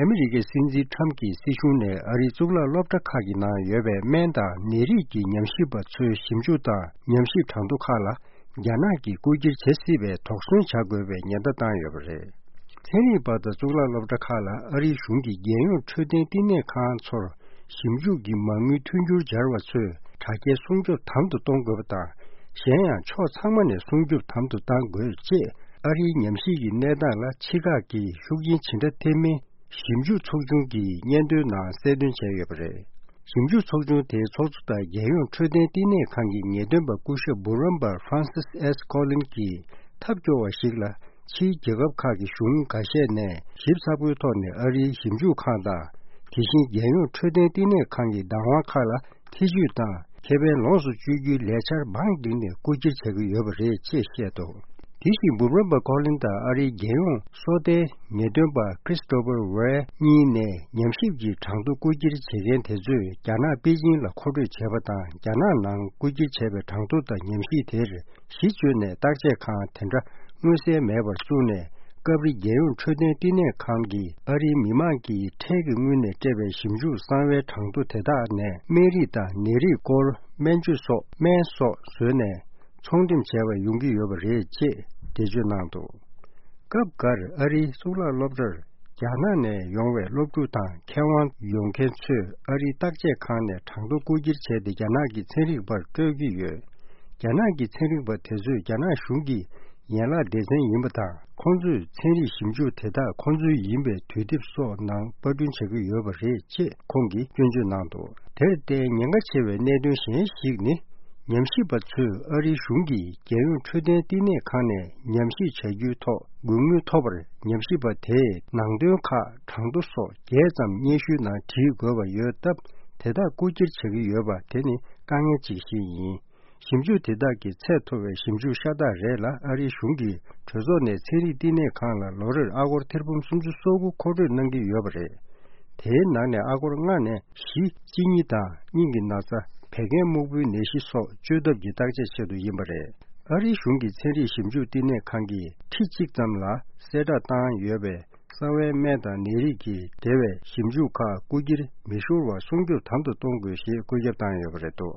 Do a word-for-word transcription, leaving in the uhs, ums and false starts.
ཨ་མི་རི་ཀའི་སྲིད་འཛིན་ཁྲམ་གྱི་སྲིད་གཞུང་ནས་ཨ་རིའི་གཙུག་ལག་སློབ་གྲྭ་ཁག་གི་ནང་ཡོད་པའི་སྨན་དང་ནད་རིགས་ཀྱི་ཉམས་ཞིབ་པ་ཚོའི་ཞིབ་འཇུག་དང་ཉམས་ཞིབ་གྲངས་ཐོ་ཁག་ལ་རྒྱ་ནག་གིས་རྐུ་འཁྱེར་བྱེད་སྲིད་པའི་དོགས་ཟོན་བྱ་དགོས་པའི་ཉེན་བརྡ་བཏང་ཡོད་པ་རེད། ཚན་རིག་པ་དང་གཙུག་ལག་སློབ་གྲྭ་ཁག་ལ་ཨ་རིའི་གཞུང་གིས་རྒྱལ་ཡོངས་འཕྲོད་བསྟེན་བསྟི་གནས་ཁང་ཚོར་ཞིབ་འཇུག་གི་མ་དངུལ་མཐུན་འགྱུར་སྦྱར་བ་ཚོས་དྲ་རྒྱའི་སྲུང་སྐྱོབ་དམ་དུ་གཏོང་དགོས་པ་དང་། གཞན་ཡང་ཕྱོགས་ཚང་མ་ནས་སྲུང་སྐྱོབ་དམ་དུ་གཏང་དགོས་ཅེས་ཨ་རིའི་ཉམས་ཞིབ་ཀྱི་གནས་སྟངས་ལ་ཕྱི་ཁག་གིས་ཤུགས་རྐྱེན་ཇི་འདྲ་ཐེབས་མིན་ཞིབ་འཇུག་ཚོགས་ཆུང་གིས་སྙན་ཐོའི་ནང་གསལ་སྟོན་བྱས་ཡོད་པ་རེད། ཞིབ་འཇུག་ཚོགས་ཆུང་དེའི་ཚོགས་གཙོ་དང་རྒྱལ་ཡོངས་འཕྲོད་བསྟེན་བསྟི་གནས་ཁང་གི་ངེས་སྟོན་པ་སྐུ་ཞབས་འབུམ་རམས་པ་Francis S Collins གྱིས་ཐབས་སྐྱོ་བ་ཞིག་ལ། ཕྱིའི་རྒྱལ་ཁབ་ཁག་གི་གཞུང་འགའ་ཤས་ནས་ཞིབ་ཚགས་པོའི་ཐོག་ནས་ཨ་རིའི་ཞིབ་འཇུག་ཁང་དང་། དེ་བཞིན་རྒྱལ་ཡོངས་འཕྲོད་བསྟེན་བསྟི་གནས་ཁང་གི་བདག་དབང་ཁག་ལ་ཐེ་ཇུས་དང་ཁེ་ཕན་ལོངས་སུ་སྤྱོད་རྒྱུའི་ལས་འཆར་མང་བསྒྲིགས་ནས་རྐུ་འཁྱེར་བྱ་གི་ཡོད་པ་རེད་ཅེས་བཤད་འདུག་དེ་བཞིན་འབུམ་རམས་པ་ཀོ་ལིན་དང་ཨ་རིའི་རྒྱལ་ཡོངས་སོ་ལྟའི་ངེས་སྟོན་པ་Christopher Wray གཉིས་ནས་ཉམས་ཞིབ་ཀྱི་གྲངས་ཐོ་རྐུ་འཁྱེར་བྱེད་མཁན་དེ་ཚོས་རྒྱ་ནག་པེ་ཅིང་ལ་མཁོ་སྤྲོད་བྱས་པ་དང་། རྒྱ་ནག་ནང་རྐུ་འཁྱེར་བྱས་པའི་གྲངས་ཐོ་དང་ཉམས་ཞིབ་དེར། གཞི་བཅོལ་ནས་བརྟག་དཔྱད་ཁང་དེ་འདྲ་མངོན་གསལ་མེད་པར་བཙུགས་ནས། སྐབས་རེ་རྒྱལ་ཡོངས་འཕྲོད་བསྟེན་བསྟི་གནས་ཁང་གིས་ཨ་རིའི་མི་མང་གིས་ཁྲལ་གྱི་དངུལ་ནས་སྤྲད་པའི་ཞིབ་འཇུག་གསང་བའི་གྲངས་ཐོ་དེ་དག་ནས་སྨན་རིགས་དང་ནད་རིགས་སྐོར་སྨན་བཅོས་སོགས་སྨན་སོགས་བཟོས་ནས་ཚོང་འགྲེམས་བྱས་པ་ཡོང་གི་ཡོད་པ་རེད་ཅེས་འགྲེལ་བརྗོད་གནང་འདུག་སྐབས་འགར་ཨ་རིའི་གཙུག་ལག་སློབ་གྲྭར་རྒྱ་ནག་ནས་ཡོང་བའི་སློབ་ཕྲུག་དང་མཁས་དབང་ཡོང་མཁན་ཚོས་ཨ་རིའི་བརྟག་དཔྱད་ཁང་ནས་གྲངས་ཐོ་རྐུ་འཁྱེར་བྱས་ཏེ་རྒྱ་ནག་གི་ཚན་རིག་པར་སྤྲོད་ཀྱི་ཡོད། རྒྱ་ནག་གི་ཚན་རིག་པ་དེ་ཚོས་རྒྱ་ནག་གཞུང་གི་ཡན་ལག་སྡེ་ཚན་ཡིན་པ་དང་། ཁོང་ཚོས་ཚན་རིག་ཞིབ་འཇུག་དེ་དག་ཁོང་ཚོའི་ཡིན་པའི་དུས་དེབ་སོགས་ནང་པར་སྐྲུན་བྱ་གི་ཡོད་པ་རེད་ཅེས་ཁོང་གིས་སྐྱོན་བརྗོད་གནང་འདུག་དེར་བརྟེན་ཉེན་ཁ་ཆེ་བའི་གནད་དོན་གཞན་ཞིག་ནི། ཉམས་ཞིབ་པ་ཚོས་ཨ་རིའི་གཞུང་གིས་རྒྱལ་ཡོངས་འཕྲོད་བསྟེན་བསྟི་གནས་ཁང་ནས་ཉམས་ཞིབ་བྱ་རྒྱུའི་ཐོག་དགོས་དངུལ་ཐོབ་པར། ཉམས་ཞིབ་པ་དེས་ནང་དོན་ཁག་གྲངས་ཐོ་སོགས་རྒྱས་ཙམ་སྙན་ཞུའི་ནང་བྲིས་དགོས་པ་ཡོད་སྟབས། དེ་དག་རྐུ་འཁྱེར་བྱ་གི་ཡོད་པ་དེ་ནི་དཀའ་ངལ་ཅིག་ཞིག་ཡིན། ཞིབ་འཇུག་དེ་དག་གི་ཚད་མཐོ་བའི་ཞིབ་འཇུག་ཤ་སྟག་རེད་ལ། ཨ་རིའི་གཞུང་གིས་གྲོས་ཚོགས་ནས་ཚན་རིག་བསྟི་གནས་ཁང་ལ་ལོ་རེར་ཨ་སྒོར་ཐེར་འབུམ་སུམ་ཅུ་སོ་དགུ་མཁོ་སྤྲོད་གནང་གི་ཡོད་པ་རེད། དེའི་ནང་ནས་ཨ་སྒོར་ལྔ་ནས་བཞི། གཅིན་སྙི་དང་སྙིང་གི་ན་ཚ། བད་ཀན་སྨུག་པོའི་ནད་གཞི་སོགས་བཅོས་ཐབས་ཀྱི་བརྟག་དཔྱད་ཆེད་དུ་ཡིན་པ་རེད། ཨ་རིའི་གཞུང་གི་ཚན་རིག་ཞིབ་འཇུག་བསྟི་གནས་ཁང་གིས་ཁྲི་གཅིག་ཙམ་ལ་གསལ་བསྒྲགས་བཏང་ཡོད་པའི། གསང་བའི་སྨན་དང་ནད་རིགས་ཀྱི་འབྲེལ་བའི་ཞིབ་འཇུག་ཁག་རྐུ་འཁྱེར་མི་ཤོར་བར་སྲུང་སྐྱོབ་དམ་དུ་གཏོང་དགོས་ཞེས་བཀོད་ཁྱབ་བཏང་ཡོད་པ་རེད་འདུག